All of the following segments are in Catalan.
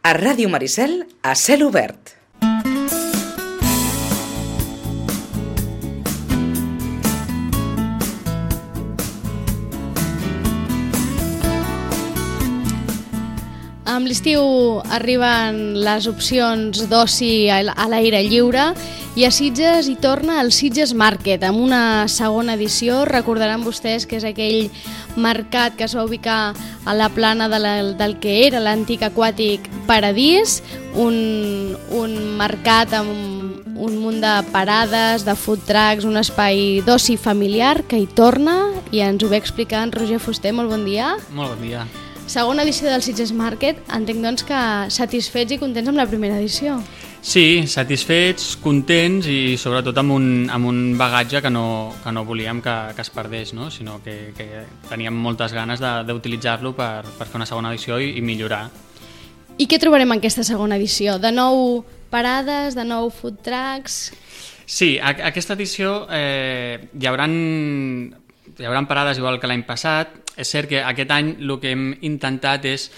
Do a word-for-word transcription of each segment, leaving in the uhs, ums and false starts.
A Ràdio Maricel, a cel obert. Amb l'estiu arriben les opcions d'oci a l'aire lliure i a Sitges hi torna el Sitges Market amb una segona edició. Recordaran vostès que és aquell mercat que es va ubicar a la plana de la, del que era l'antic aquàtic Paradís, un, un mercat amb un munt de parades, de food trucks, un espai d'oci familiar que hi torna i ens ho ve explicar en Roger Fuster. Molt bon dia. Molt bon dia. Segona edició del Sitges Market, entenc doncs que satisfets i contents amb la primera edició. Sí, satisfets, contents i sobretot amb un, amb un bagatge que no, que no volíem que, que es perdés, no? Sinó que, que teníem moltes ganes d'utilitzar-lo per, per fer una segona edició i, i millorar. I què trobarem en aquesta segona edició? De nou parades, de nou food trucks? Sí, a, aquesta edició eh, hi haurà hi haurà parades igual que l'any passat. És cert que aquest any el que hem intentat és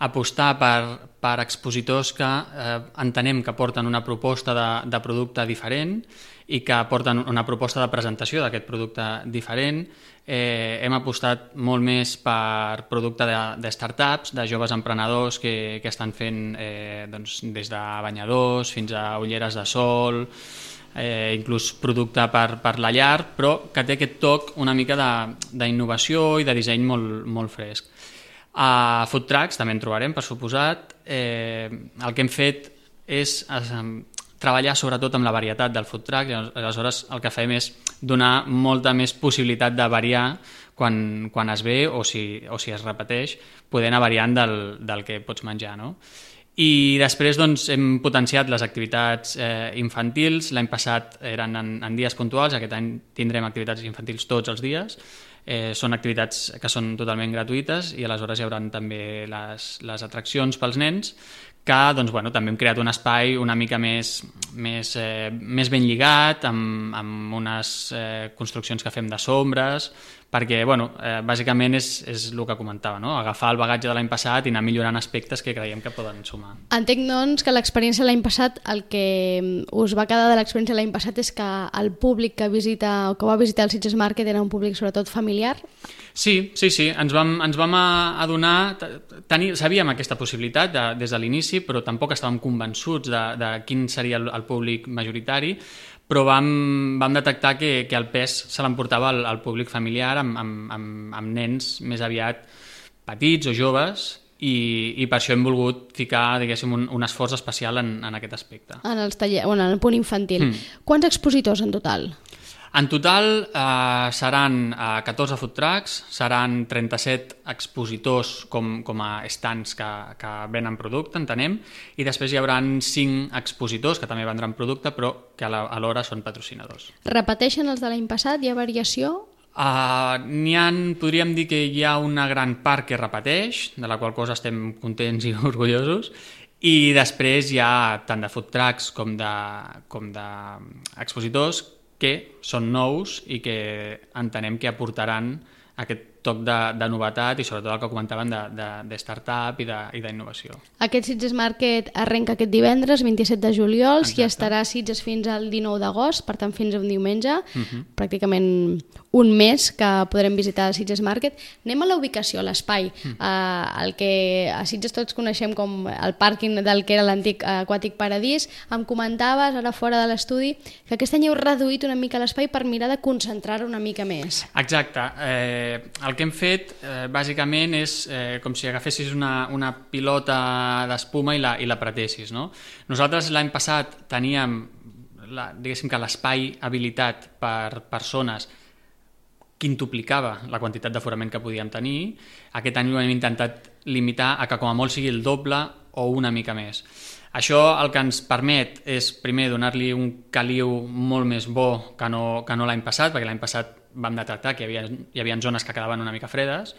apostar per, per expositors que eh, entenem que porten una proposta de, de producte diferent i que porten una proposta de presentació d'aquest producte diferent. Eh, hem apostat molt més per producte de, de startups, de joves emprenedors que, que estan fent eh, doncs, des de banyadors fins a ulleres de sol, Eh, inclús producte per, per la llar, però que té aquest toc una mica d'innovació i de disseny molt, molt fresc. A food trucks també en trobarem, per suposat. Eh, el que hem fet és eh, treballar sobretot amb la varietat del food truck, i aleshores el que fem és donar molta més possibilitat de variar quan, quan es ve o si, o si es repeteix, poder anar variant del, del que pots menjar, no? I després doncs, hem potenciat les activitats eh, infantils. L'any passat eren en, en dies puntuals, aquest any tindrem activitats infantils tots els dies. Eh, són activitats que són totalment gratuïtes i aleshores hi haurà també les, les atraccions pels nens, que doncs, bueno, també hem creat un espai una mica més, més, eh, més ben lligat, amb, amb unes eh, construccions que fem de sombres, perquè bueno, eh, bàsicament és, és el que comentava, no? Agafar el bagatge de l'any passat i anar millorant aspectes que creiem que poden sumar. Entenc doncs que l'experiència l'any passat, el que us va quedar de l'experiència l'any passat és que el públic que visita o que va visitar el Sitges Market era un públic sobretot familiar? Sí, sí, sí, ens vam, ens vam adonar, tenir, sabíem aquesta possibilitat de, des de l'inici, però tampoc estàvem convençuts de, de quin seria el, el públic majoritari, però vam, vam detectar que, que el pes se l'emportava el, el públic familiar amb, amb, amb, amb nens més aviat petits o joves i, i per això hem volgut ficar, diguéssim, un, un esforç especial en, en aquest aspecte. En, els taller, bueno, en el punt infantil. Mm. Quants expositors en total? En total eh, seran eh, catorze food trucks, seran trenta-set expositors com, com a stands que, que venen producte, entenem, i després hi haurà cinc expositors que també vendran producte però que alhora són patrocinadors. Repeteixen els de l'any passat? Hi ha variació? Uh, n'hi ha, podríem dir que hi ha una gran part que repeteix, de la qual cosa estem contents i orgullosos, i després hi ha tant de food trucks com de, com de expositors que són nous i que entenem que aportaran aquest toc de, de novetat i sobretot el que comentaven de, de, de startup i d'innovació. Aquest Sitges Market arrenca aquest divendres, vint-i-set de juliol, i estarà a Sitges fins al dinou d'agost, per tant fins a un diumenge, uh-huh. pràcticament un mes que podrem visitar el Sitges Market. Anem a la ubicació, a l'espai, uh-huh. eh, el que a Sitges tots coneixem com el pàrquing del que era l'antic Aquàtic Paradís. Em comentaves, ara fora de l'estudi, que aquest any heu reduït una mica l'espai per mirar de concentrar-ho una mica més. Exacte. Eh, el que hem fet, eh, bàsicament, és eh, com si agafessis una, una pilota d'espuma i la, i la pretessis, no? Nosaltres l'any passat teníem, la, diguéssim que l'espai habilitat per persones quintuplicava la quantitat d'aforament que podíem tenir. Aquest any ho hem intentat limitar a que com a molt sigui el doble o una mica més. Això el que ens permet és, primer, donar-li un caliu molt més bo que no, que no l'any passat, perquè l'any passat vam detectar que hi havia, hi havia zones que quedaven una mica fredes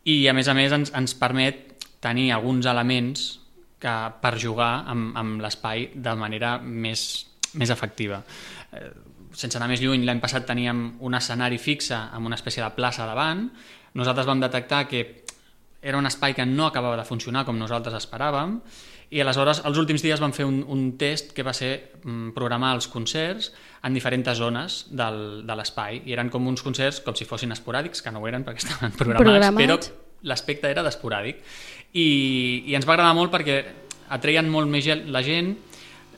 i, a més a més, ens, ens permet tenir alguns elements que, per jugar amb, amb l'espai de manera més, més efectiva. Eh, sense anar més lluny, l'any passat teníem un escenari fixe amb una espècie de plaça davant. Nosaltres vam detectar que era un espai que no acabava de funcionar com nosaltres esperàvem, i aleshores els últims dies vam fer un, un test que va ser mm, programar els concerts en diferents zones del, de l'espai, i eren com uns concerts com si fossin esporàdics, que no ho eren perquè estaven programats, Programat. però l'aspecte era d'esporàdic, i, i ens va agradar molt perquè atreien molt més la gent.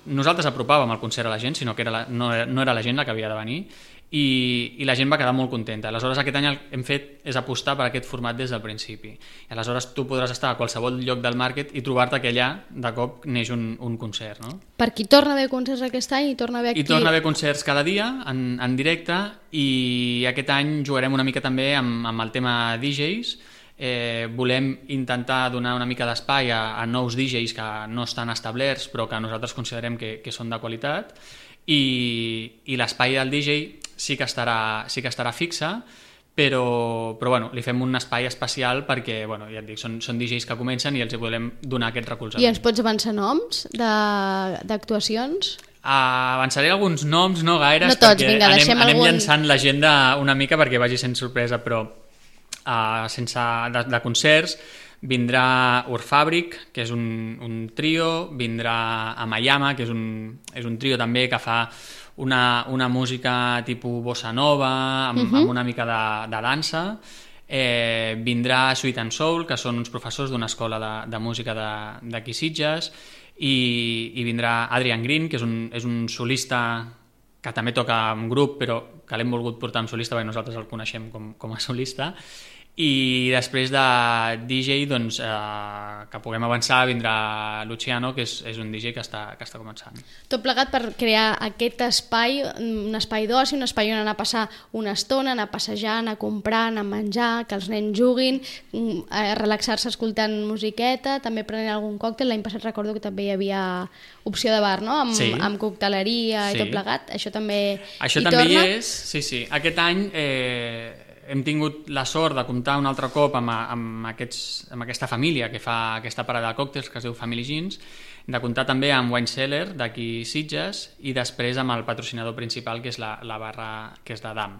Nosaltres apropàvem el concert a la gent, sinó que era la, no, no era la gent la que havia de venir, i, i la gent va quedar molt contenta. Aleshores aquest any el que hem fet és apostar per aquest format des del principi, i aleshores tu podràs estar a qualsevol lloc del market i trobar-te que allà de cop neix un, un concert, no? Per qui torna a haver concerts aquest any i torna a haver aquí... I torna a haver concerts cada dia en, en directe, i aquest any jugarem una mica també amb, amb el tema D Js. Eh, volem intentar donar una mica d'espai a, a nous D Js que no estan establerts però que nosaltres considerem que, que són de qualitat, i, i l'espai del D J sí que estarà, sí que estarà fixe, però, però bueno, li fem un espai especial perquè, bueno, ja et dic, són, són D Js que comencen i els volem donar aquest recolzament. I ens pots avançar noms d'actuacions? Uh, avançaré alguns noms, no gaires, no tots, perquè vinga, anem, anem algun... llançant l'agenda una mica perquè vagi sent sorpresa, però uh, sense de, de concerts vindrà Urfàbric, que és un, un trio, vindrà Amayama, que és un, és un trio també que fa una, una música tipus bossa nova, amb, uh-huh. amb una mica de, de dansa. Eh, vindrà Sweet and Soul, que són uns professors d'una escola de, de música d'aquí Sitges, i, i vindrà Adrian Green, que és un, és un solista que també toca en grup, però que l'hem volgut portar en solista perquè nosaltres el coneixem com, com a solista. I després de D J, doncs, eh, que puguem avançar, vindrà Luciano, que és, és un D J que està, que està començant. Tot plegat per crear aquest espai, un espai d'oci, un espai on anar a passar una estona, anar a passejar, anar a comprar, anar a menjar, que els nens juguin, a relaxar-se escoltant musiqueta, també prenent algun còctel. L'any passat recordo que també hi havia opció de bar, no? Amb, sí. amb cocteleria sí. i tot plegat. Això també Això hi també torna? Hi és, sí, sí. Aquest any... Eh... hem tingut la sort de comptar un altre cop amb, amb, aquests, amb aquesta família que fa aquesta parada de còctels que es diu Family Jeans, de comptar també amb Wine Cellar d'aquí Sitges, i després amb el patrocinador principal, que és la, la barra que és de Dam.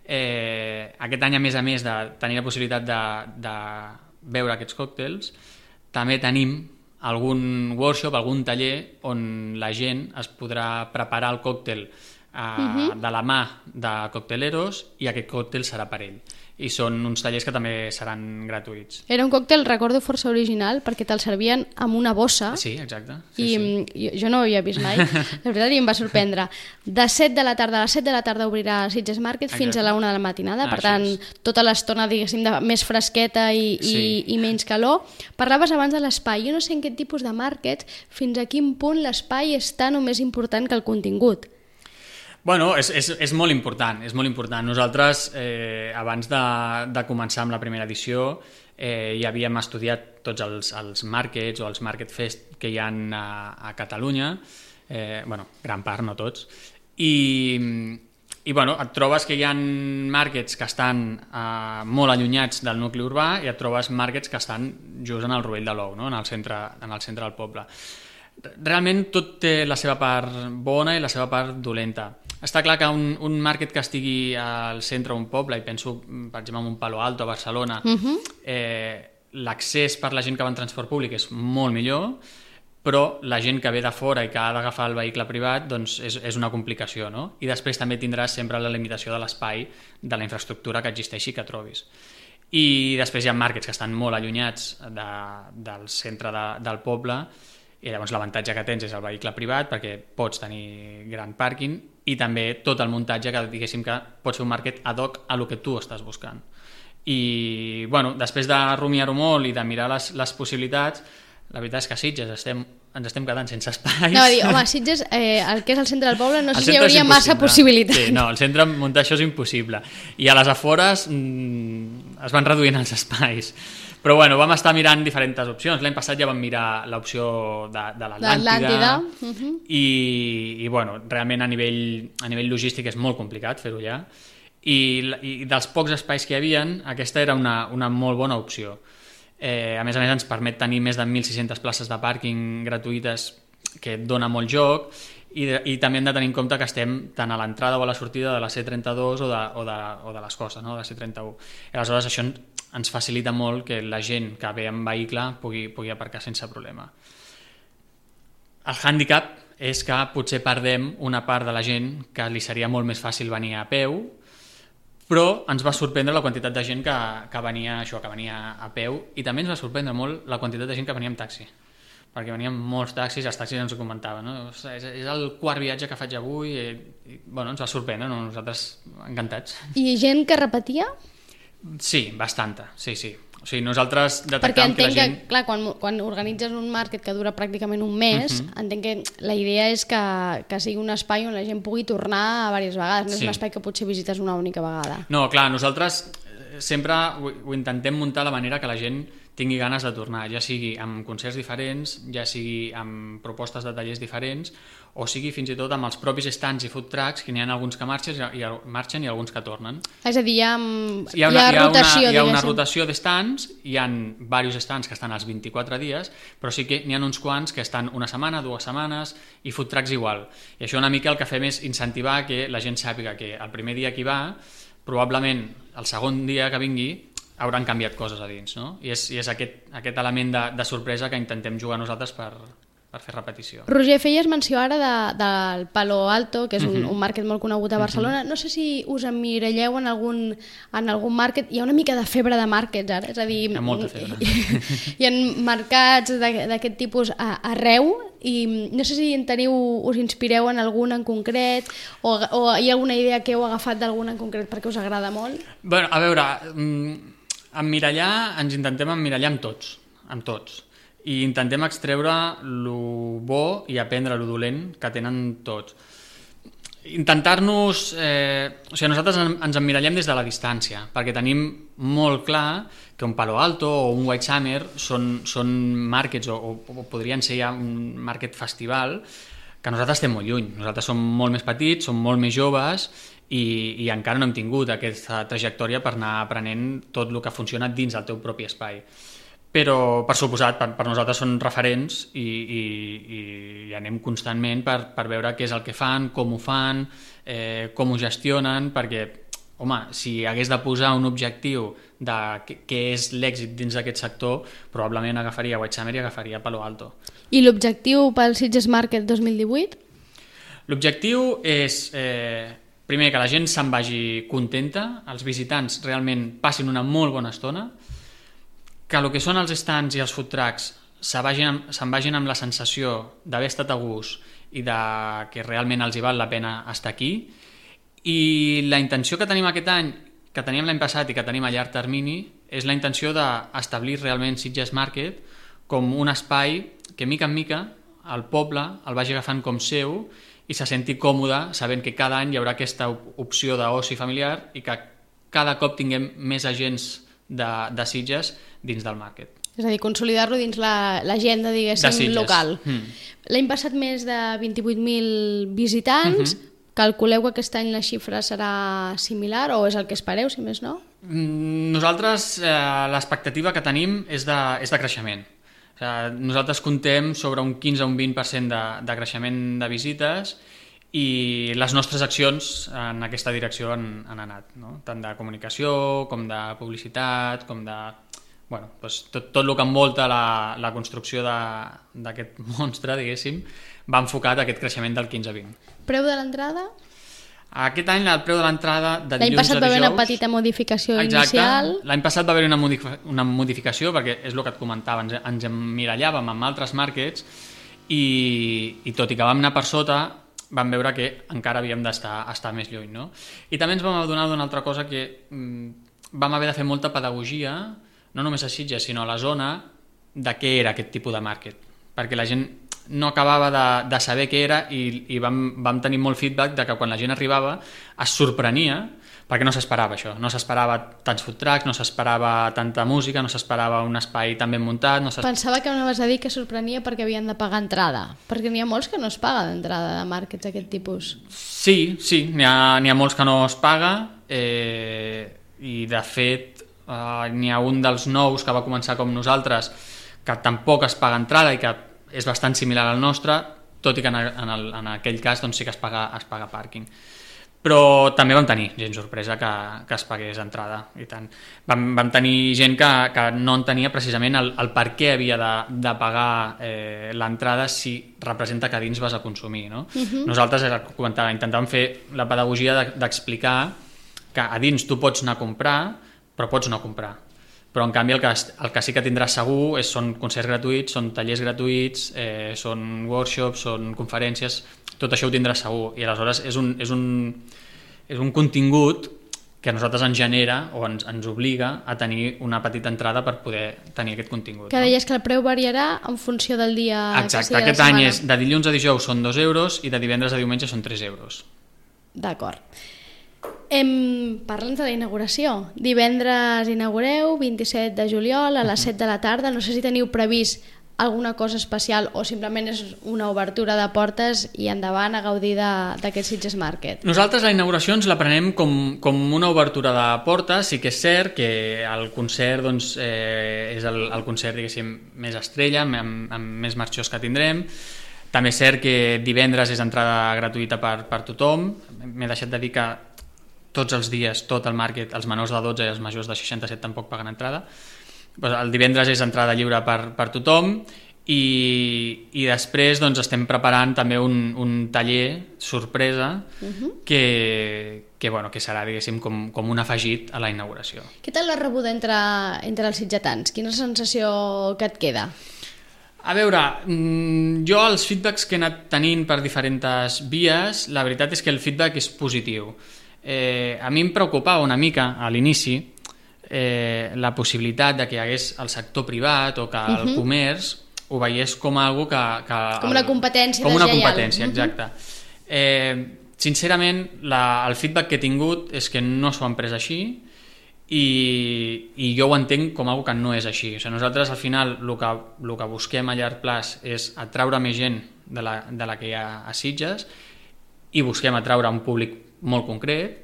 Eh, aquest any, a més a més de tenir la possibilitat de, de beure aquests còctels, també tenim algun workshop, algun taller on la gent es podrà preparar el còctel Uh, uh-huh. de la mà de cocteleros, i aquest còctel serà per ell, i són uns tallers que també seran gratuïts. Era un còctel, recordo, força original, perquè te'l servien amb una bossa. Sí, exacte. Sí, i sí. Jo, jo no ho havia vist mai, la veritat, i em va sorprendre. De set de la tarda a les set de la tarda obrirà Sitges Market. Exacte. Fins a la una de la matinada, per tant, tota l'estona, diguéssim, de més fresqueta i, sí. i, i menys calor. Parlaves abans de l'espai. Jo no sé en quin tipus de market, fins a quin punt l'espai és tan o més important que el contingut. Bueno, és, és, és molt important, és molt important. Nosaltres, eh, abans de, de començar amb la primera edició, eh, ja havíem estudiat tots els, els markets o els market fest que hi ha a, a Catalunya, eh, bueno, gran part, no tots, i, i bueno, et trobes que hi ha markets que estan eh, molt allunyats del nucli urbà, i et trobes markets que estan just en el rovell de l'ou, no? en, el centre, en el centre del poble. Realment tot té la seva part bona i la seva part dolenta. Està clar que un, un market que estigui al centre d'un poble, i penso, per exemple, en un Palo Alto, a Barcelona, uh-huh. eh, l'accés per la gent que va en transport públic és molt millor, però la gent que ve de fora i que ha d'agafar el vehicle privat, doncs és, és una complicació, no? I després també tindràs sempre la limitació de l'espai, de la infraestructura que existeixi, que trobis. I després hi ha markets que estan molt allunyats de, del centre de, del poble, i llavors l'avantatge que tens és el vehicle privat, perquè pots tenir gran pàrquing, i també tot el muntatge que, diguéssim, que pots fer un market ad hoc a lo que tu estàs buscant. I, bueno, després de rumiar-ho molt i de mirar les, les possibilitats, la veritat és que a Sitges estem, ens estem quedant sense espais. No, dir, home, a Sitges, eh, el que és el centre del poble, no sé si hi hauria massa possibilitats. Sí, no, el centre, muntar això és impossible. I a les afores mmm, es van reduint els espais. Però bueno, vam estar mirant diferents opcions. L'any passat ja vam mirar l'opció de, de l'Atlàntida, uh-huh. i, i bueno, realment a nivell, a nivell logístic és molt complicat fer-ho allà. I, I dels pocs espais que hi havia, aquesta era una, una molt bona opció. Eh, a més a més ens permet tenir més de mil sis-centes places de pàrquing gratuïtes, que et dona molt joc, i, de, i també hem de tenir en compte que estem tant a l'entrada o a la sortida de la C trenta-dos o de, o de, o de les costes, no? de la C trenta-u. I aleshores això ens facilita molt que la gent que ve en vehicle pugui, pugui aparcar sense problema. El hàndicap és que potser perdem una part de la gent que li seria molt més fàcil venir a peu, però ens va sorprendre la quantitat de gent que, que venia això, que venia a peu, i també ens va sorprendre molt la quantitat de gent que venia amb taxi, perquè venien molts taxis, els taxis ens ho comentaven, no? És, és el quart viatge que faig avui, i, i bueno, ens va sorprendre, no? Nosaltres encantats. I gent que repetia? Sí, bastanta, sí, sí. O sigui, nosaltres Perquè detectàvem que entenc la gent... que, clar, quan, quan organitzes un market que dura pràcticament un mes, uh-huh. entenc que la idea és que, que sigui un espai on la gent pugui tornar a diverses vegades, no és Sí. un espai que potser visites una única vegada. No, clar, nosaltres sempre ho, ho intentem muntar de manera que la gent tingui ganes de tornar, ja sigui amb concerts diferents, ja sigui amb propostes de tallers diferents, o sigui fins i tot amb els propis stands i food trucks, que n'hi ha alguns que marxen i, marxen i alguns que tornen. És a dir, hi ha, Hi ha, una, hi ha rotació, hi ha, una, hi ha una diguéssim. rotació de stands, hi ha diversos stands que estan als vint-i-quatre dies, però sí que n'hi ha uns quants que estan una setmana, dues setmanes, i food trucks igual. I això una mica el que fem és incentivar que la gent sàpiga que el primer dia que hi va, probablement el segon dia que vingui, hauran canviat coses a dins, no? I és, i és aquest, aquest element de, de sorpresa que intentem jugar nosaltres per, per fer repetició. Roger, feies menció ara de, del Palo Alto, que és un, Mhm. un market molt conegut a Barcelona. No sé si us emmiralleu en algun, en algun market. Hi ha una mica de febre de markets ara, és a dir... Hi ha molta febre. Hi, hi ha mercats de- d'aquest tipus a, arreu, i no sé si en teniu, us inspireu en algun en concret, o, o hi ha alguna idea que heu agafat d'algun en concret perquè us agrada molt. Bueno, a veure, mm, emmirallar, ens intentem emmirallar amb tots, amb tots. I intentem extreure lo bo i aprendre lo dolent que tenen tots. Intentar-nos... Eh, o sigui, nosaltres en- ens emmirallem des de la distància, perquè tenim molt clar que un Palo Alto o un White Summer són, són markets, o, o, o podrien ser ja un market festival, que nosaltres estem molt lluny. Nosaltres som molt més petits, som molt més joves, i, i encara no hem tingut aquesta trajectòria per anar aprenent tot el que funciona dins del teu propi espai. Però, per suposat, per, per nosaltres són referents i, i, i anem constantment per, per veure què és el que fan, com ho fan, eh, com ho gestionen, perquè, home, si hagués de posar un objectiu de què, què és l'èxit dins d'aquest sector, probablement agafaria White Summer i agafaria Palo Alto. I l'objectiu pel Sitges Market dos mil divuit? L'objectiu és, eh, primer, que la gent se'n vagi contenta, els visitants realment passin una molt bona estona, que el que són els stands i els food trucks se'n vagin, se'n vagin amb la sensació d'haver estat a gust i de que realment els hi val la pena estar aquí. I la intenció que tenim aquest any, que teníem l'any passat i que tenim a llarg termini, és la intenció d'establir realment Sitges Market com un espai que, mica en mica, el poble el vagi agafant com seu i se senti còmode sabent que cada any hi haurà aquesta opció d'oci familiar i que cada cop tinguem més agents de, de Sitges dins del market. És a dir, consolidar-lo dins l'agenda, la, diguéssim, De Sitges. local. Mm. L'any passat més de vint-i-vuit mil visitants. Mhm. Calculeu que aquest any la xifra serà similar o és el que espereu, si més no? Mm, Nosaltres, eh, l'expectativa que tenim és de, és de creixement. O sigui, nosaltres contem sobre un quinze a un vint per cent de, de creixement de visites i les nostres accions en aquesta direcció han, han anat, no? Tant de comunicació com de publicitat, com de... Bueno, doncs tot, tot el que envolta la, la construcció d'aquest monstre, diguéssim, va enfocat a aquest creixement del quinze a vint. Preu de l'entrada? Aquest any el preu de l'entrada de L'any dilluns passat a va haver dijous... una petita modificació Exacte. inicial. L'any passat va haver una, modifi una modificació perquè és el que et comentava, ens, ens emmirallàvem amb altres markets i, i tot i que vam anar per sota vam veure que encara havíem d'estar estar més lluny, no? I també ens vam adonar d'una altra cosa que mm, vam haver de fer molta pedagogia, no només a Sitges sinó a la zona, de què era aquest tipus de market, perquè la gent no acabava de, de saber què era i, i vam, vam tenir molt feedback de que quan la gent arribava es sorprenia perquè no s'esperava això, no s'esperava tants food trucks, no s'esperava tanta música, no s'esperava un espai tan ben muntat. No Pensava que anaves a dir que sorprenia perquè havien de pagar entrada, perquè n'hi ha molts que no es paga d'entrada de markets d'aquest tipus. Sí, sí, n'hi ha, n'hi ha molts que no es paga eh, i de fet eh, n'hi ha un dels nous que va començar com nosaltres que tampoc es paga entrada i que és bastant similar al nostre, tot i que en, el, en, el, en aquell cas doncs, sí que es paga, es paga pàrquing. però també vam tenir gent sorpresa que, que es pagués entrada i tant. Vam, vam tenir gent que, que no entenia precisament el, el per què havia de, de pagar eh, l'entrada si representa que a dins vas a consumir, no? Uh-huh. Nosaltres era, comentava, intentàvem fer la pedagogia de, d'explicar que a dins tu pots anar a comprar però pots no comprar, però en canvi el que, el que sí que tindràs segur és, són concerts gratuïts, són tallers gratuïts, eh, són workshops, són conferències, tot això ho tindràs segur, i aleshores és un, és un, és un contingut que a nosaltres ens genera o ens, ens obliga a tenir una petita entrada per poder tenir aquest contingut. Que deies no? que el preu variarà en funció del dia. Exacte, aquest any és de dilluns a dijous són dos euros i de divendres a diumenge són tres euros. D'acord. Em... Parla'ns de la inauguració. Divendres inaugureu, vint-i-set de juliol a les set de la tarda. No sé si teniu previst alguna cosa especial o simplement és una obertura de portes i endavant a gaudir d'aquest Sitges Market. Nosaltres la inauguració ens la prenem com, com una obertura de portes. Sí que és cert que el concert doncs, eh, és el, el concert diguéssim més estrella, amb, amb més marxós que tindrem. També és cert que divendres és entrada gratuïta per, per tothom. M'he deixat de dir que tots els dies, tot el market, els menors de dotze i els majors de seixanta-set tampoc paguen entrada. El divendres és entrada lliure per, per tothom i, i després doncs, estem preparant també un, un taller sorpresa uh-huh. que, que, bueno, que serà diguéssim com, com un afegit a la inauguració. Què tal la rebuda entre, entre els sitgetans? Quina sensació que et queda? A veure, jo els feedbacks que he anat tenint per diferents vies, la veritat és que el feedback és positiu. Eh, a mi em preocupava una mica a l'inici eh, la possibilitat de que hi hagués el sector privat o que el uh-huh. comerç ho veiés com algo que... que com una competència com una deslleial. competència, exacte. Uh-huh. Eh, sincerament, la, el feedback que he tingut és que no s'ho han pres així i, i jo ho entenc com algo que no és així. O sigui, nosaltres al final el que, el que busquem a llarg plaç és atraure més gent de la, de la que hi ha a Sitges i busquem atraure un públic molt concret.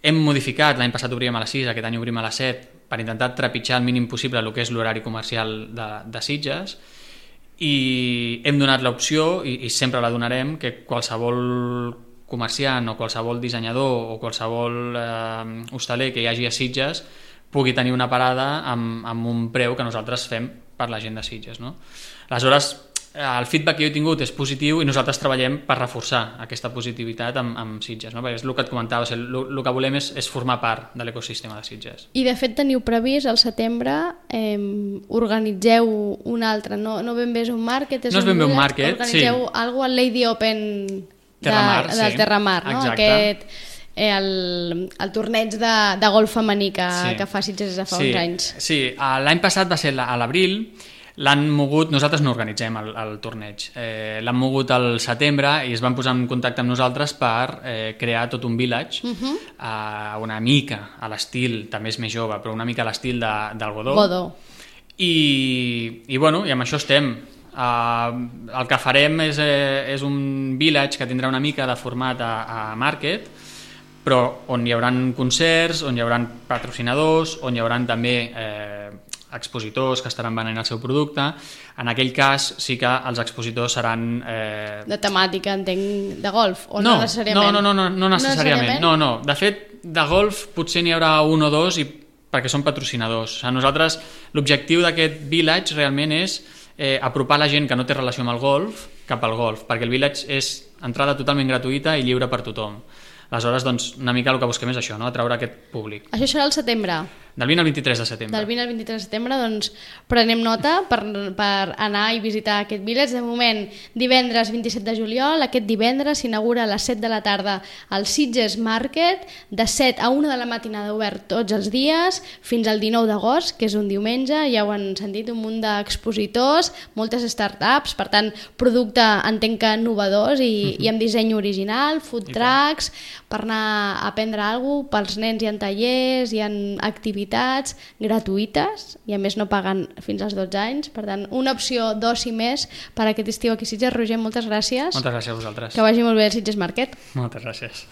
Hem modificat, l'any passat obríem a les sis, aquest any obrim a les set, per intentar trepitjar el mínim possible el que és l'horari comercial de, de Sitges, i hem donat l'opció, i, i sempre la donarem, que qualsevol comerciant o qualsevol dissenyador o qualsevol eh, hostaler que hi hagi a Sitges pugui tenir una parada amb, amb un preu que nosaltres fem per la gent de Sitges, no? Aleshores, el feedback que jo he tingut és positiu i nosaltres treballem per reforçar aquesta positivitat amb, amb Sitges, no? Perquè és el que et comentava, o sigui, el, el que volem és, és formar part de l'ecosistema de Sitges. I de fet teniu previst al setembre eh, organitzeu un altre, no, no ben bé és un market, és no és un ben bé un market, market, organitzeu sí. algo al Lady Open de, Terramar, del sí. Terramar, no? Exacte. Aquest, eh, el, el torneig de, de golf femení que, sí. que fa Sitges des de fa sí. uns anys. Sí, l'any passat va ser a l'abril. L'han mogut, nosaltres no organitzem el, el torneig, eh, l'han mogut al setembre i es van posar en contacte amb nosaltres per eh, crear tot un village, uh-huh. eh, una mica a l'estil, també és més jove, però una mica a l'estil de, del Godó. Godó. I, i, bueno, i amb això estem. Eh, el que farem és, eh, és un village que tindrà una mica de format a, a market, però on hi haurà concerts, on hi haurà patrocinadors, on hi haurà també eh, expositors que estaran venent el seu producte. En aquell cas sí que els expositors seran... Eh... De temàtica, entenc, de golf, o no, no necessàriament? No, no, no, no, no necessàriament. No, no. De fet, de golf potser n'hi haurà un o dos i perquè són patrocinadors. O sigui, nosaltres, l'objectiu d'aquest village realment és eh, apropar la gent que no té relació amb el golf cap al golf, perquè el village és entrada totalment gratuïta i lliure per tothom. Aleshores, doncs, una mica el que busquem és això, no? Atraure aquest públic. Això serà al setembre? Del vint al vint-i-tres de setembre. Del vint al vint-i-tres de setembre, doncs prenem nota per, per anar i visitar aquest village. De moment, divendres vint-i-set de juliol, aquest divendres s'inaugura a les set de la tarda el Sitges Market, de set a una de la matinada obert tots els dies, fins al dinou d'agost, que és un diumenge, ja ho han sentit, un munt d'expositors, moltes startups, per tant, producte entenc que innovadors i, uh-huh. i amb disseny original, food trucks, per anar a aprendre alguna cosa, pels nens hi ha tallers, hi ha activitats gratuïtes i a més no paguen fins als dotze anys, per tant una opció d'oci més per aquest estiu aquí a Sitges. Roger, moltes gràcies. Moltes gràcies a vosaltres. Que vagi molt bé el Sitges Market. Moltes gràcies.